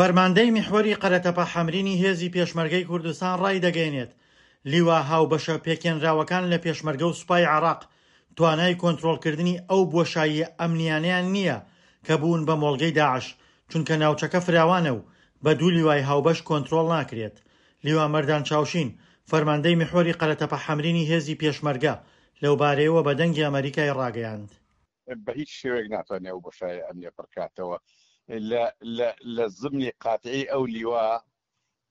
فەرماندەی میحوەری قەرەتەپە حەمرینی هێزی پێشمەرگەی کوردستان ڕایدەگەیەنێت، لیوا هاوبەشە پێکهێنراوەکان لە پێشمەرگە و سوپای عێراق توانای کۆنترۆڵکردنی ئەو بۆشاییە ئەمنییانەیان نییە کە بوون بە مۆڵگەی داعش، چونکە ناوچەکە فراوانە و بە دوو لیوای هاوبەش کۆنترۆڵ ناکرێت. لیوا مەردان چاوشین، فەرماندەی میحوەری قەرەتەپە حەمرینی هێزی پێشمەرگە، لەوبارەیەوە بە دەنگی ئەمەریکای ڕاگەیاند. بە هیچ شێوەیەک ناتوانێت ئەو بۆشایە ئەمنیە پڕکاتەوە لە لە لە زمنی قاتعی ئەو لیوا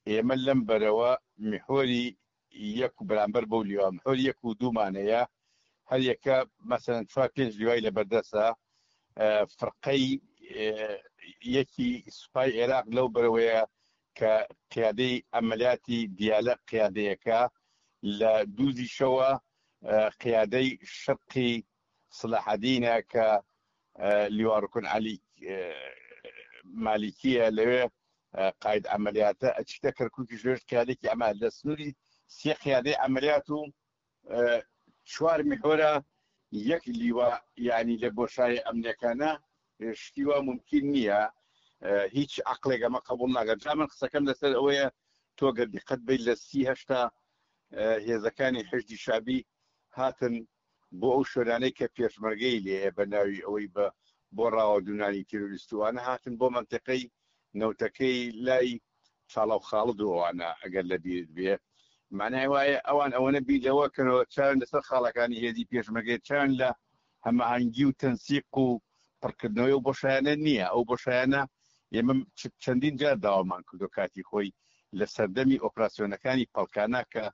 ئێمە لەم بەرەوە میحوەری یەک و بەرامبەر بەو لیوا میحوەری یەک و دوومان هەیە هەر یەکە مەسەلەن چوار پێنج لیوای لە بەردەسە فرقەی یەکی سوپای عێراق لەو بەرەوەیە کە قیادەی عەمەلیاتی دیالە قیادەیەکە لە دووزیشەوە قیادەی شەرقی سڵاحەدینە کە لیوا ڕکن عەلی مالیکیە لەوێ قاید عەمەلیاتە ئەچیتە کەرکوکیش لەوێش قیادێکی ئەمە لە سنووری سێ قیادەی عەمەلیات و چوار میحوەرە یەک لیوا یعنی لە بۆشایە ئەمنیەکانە شتی وا مومکین نییە هیچ عەقڵێک ئەمە قبوڵ ناکات جا من قسەکەم لەسەر ئەوەیە تۆ گەر دیقەت بەی لە سی هەشتا هێزەکانی حەشدی شەعبی هاتن بۆ ئەو شوێنانەی کە پێشمەرگەی لێیە بە ناوی ئەوەی بە بۆ ڕاوەدوونانی تیرۆریستوانە هاتن بۆ مەنتیقەی نەوتەکەی لای چاڵاو خاڵد و ئەوانە ئەگەر لە بیرت بێ مانای وایە ئەوان ئەوەنە بیر لەوە کەنەوە چاویان لەسەر خاڵەکانی هێزی پێشمەرگەیە چاویان لە هەماهەنگی و تەنسیق و پڕکردنەوەی ئەو بۆشایانە نییە ئەو بۆشایانە ئێمە چەندین جار داوامان کردو کاتی خۆی لە سەردەمی ئۆپراسیۆنەکانی پەڵکانە کە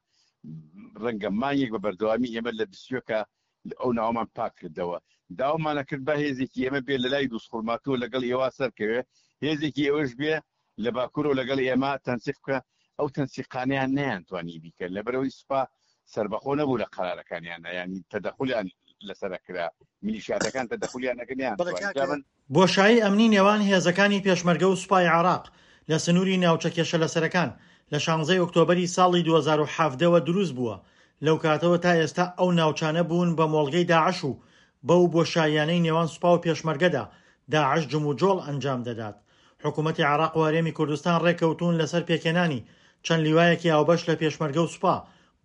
ڕەنگە مانگێک بە بەردەوامی ئێمە لە بسیۆکە ئەو ناوەمان پاک کردەوە داوامانە کرد با هێزێکی ئێمە بێ لە لای دووسخورماتووە لەگەڵ ئێوە سەرکەوێ هێزێکی ئێوەش بێ لە باکوورەوە لەگەڵ ئێمە تەنسیق بکە ئەو تەنسیقانەیان نەیانتوانی بیکەن لەبەرئەوەی سوپا سەربەخۆ نەبوو لە قەرارەکانیانە یانی تەدەخولیان لەسەر ئەکرا میلیشیاتەکان تەدەخولیان ئەکرد بەڵێ نەیانتوانی کاک جا من بۆشایی ئەمنی نێوان هێزەکانی پێشمەرگە و سوپای عێراق لە سنووری ناوچە کێشەلەسەرەکان لە شانزەی ئۆکتۆبەری ساڵی 2017 وە دروست بووە، لەو کاتەوە تا ئێستا ئەو ناوچانە بوون بە مۆڵگەی داعش و بەو بۆشاییانەی نێوان سوپا و پێشمەرگەدا داعش جموجۆڵ ئەنجام دەدات. حکومەتی عێراق و هەرێمی کوردستان ڕێککەوتوون لەسەر پێکهێنانی چەند لیوایەکی هاوبەش لە پێشمەرگە و سوپا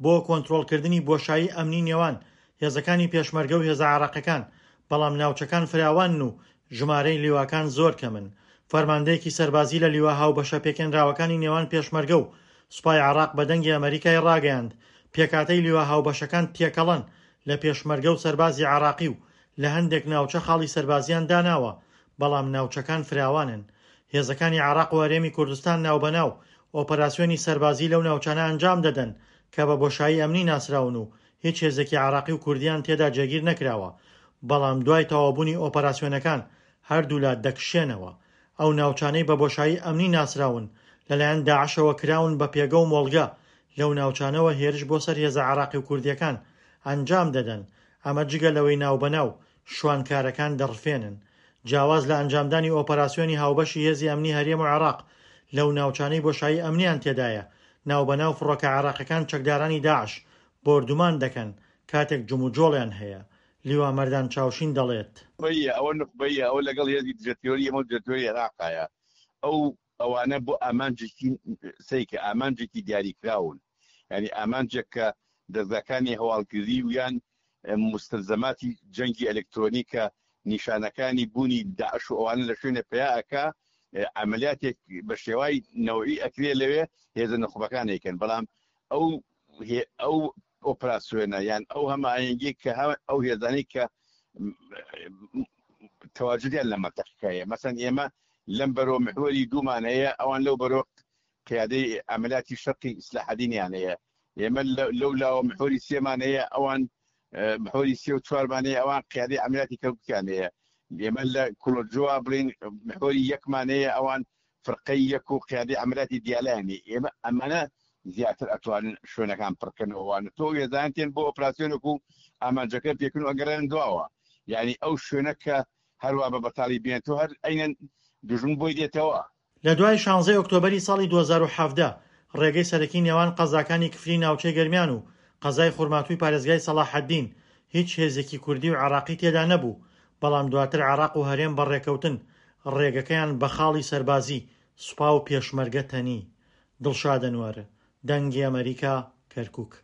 بۆ کۆنترۆڵکردنی بۆشایی ئەمنی نێوان هێزەکانی پێشمەرگە و هێزە عێراقیەکان، بەڵام ناوچەکان فراوانن و ژمارەی لیواکان زۆر کەمن. فەرماندەیەکی سەربازی لە لیوا هاوبەشە پێکهێنراوەکانی نێوان پێشمەرگە و سوپای عێراق بە دەنگی ئەمەریکای ڕاگەیاند، پێکهاتەی لیوا هاوبەشەکان تێکەڵەن لە پێشمەرگە و سەربازی عێراقی و لە هەندێک ناوچە خاڵی سەربازیان داناوە، بەڵام ناوچەکان فراوانن. هێزەکانی عێراق و هەرێمی کوردستان ناوبەناو ئۆپەراسیۆنی سەربازی لەو ناوچانە ئەنجام دەدەن کە بە بۆشایی ئەمنی ناسراون و هیچ هێزێکی عێراقی و کوردیان تێدا جێگیر نەکراوە، بەڵام دوای تەواوبوونی ئۆپەراسیۆنەکان هەردوولا دەکشێنەوە. ئەو ناوچانەی بە بۆشایی ئەمنی ناسراون لەلایەن داعشەوە کراون بە پێگە و مۆڵگە، لەو ناوچانەوە هێرش بۆ سەر هێزە عێراقی و کوردییەکان ئەنجام دەدەن، ئەمە جگە لەوەی ناوبەناو شوانکارەکان دەڕفێنن. جیاواز لە ئەنجامدانی ئۆپەراسیۆنی هاوبەشی هێزی ئەمنی هەرێم و عێراق لەو ناوچانەی بۆشایی ئەمنیان تێدایە، ناوبەناو فڕۆکە عێراقیەکان چەکدارانی داعش بۆردومان دەکەن کاتێک جموجۆڵیان هەیە. لیوا مەردان چاوشین دەڵێت. نوخبەیە، ئەوە نوخبەیە، ئەوە لەگەڵ هێزی دژەتیرۆری ئێمە و دژەتیرۆری عێراقایە، ئەو ئەوانە بۆ ئامانجێکی سەیکە، ئامانجێکی دیاریکراون، یانی ئامانجێک کە دەزگاکانی هەواڵگری و یان موستەلزەماتی جەنگی ئەلکترۆنی کە نیشانەکانی بوونی داعش و ئەوانە لە شوێنێ پەیا ئەکا عەمەلیاتێک بە شێوای نەوعی ئەکرێ لەوێ هێزە نوخبەکان ئەیکەن بەڵام ئەو ئەو ئۆپراسیۆنە یان ئەو هەماهەنگی کە ئەو هێزانەی کە تەواجدیان لە مەنتەقەکەیە مەسەن ئێمە لەم بەرۆ محوەری دوومان هەیە ئەوان لەو بەرۆ قیادەی عەمەلیاتی شەرقی ئیسلاحەدینیان هەیە ئێمە لەو لاوە محوەری سێمان هەیە ئەوان محوەری سێ و چوارمان هەیە ئەوان قیادەی عەمەلیاتی کەرکوکیان هەیە ئێمە لە کوڵۆجۆوا بڵین محوەری یەکمان هەیە ئەوان فرقەی یەک و قیادەی عەمەلیاتی دیالەیان هەیە ئێمە ئەمانە زیاتر ئەتوانن شوێنەکان پڕکەنەوە وانە تۆ وێزان تێن بۆ ئۆپراسیۆنێک و ئامانجەکە پێکن و ئەگەڕێن دواوە یعنی ئەو شوێنە کە هەروا بە بەتاڵی بێن تۆ هەر ئەینەن دوژمن بۆی دێتەوە. لە دوای شانزەی ئۆکتۆبەری ساڵی 2017 ڕێگەی سەرەکی نێوان قەزاکانی کفری ناوچەی گەرمیان و قەزای خورماتووی پارێزگای سەڵاحەدین هیچ هێزێکی کوردی و عێراقی تێدا نەبوو، بەڵام دواتر عێراق و هەرێم بە ڕێکەوتن ڕێگەکەیان بە خاڵی سەربازی. سوپا و پێشمەرگە تەنی. دڵشاد ئەنوەر، دەنگی ئەمەریکا، کەرکوک.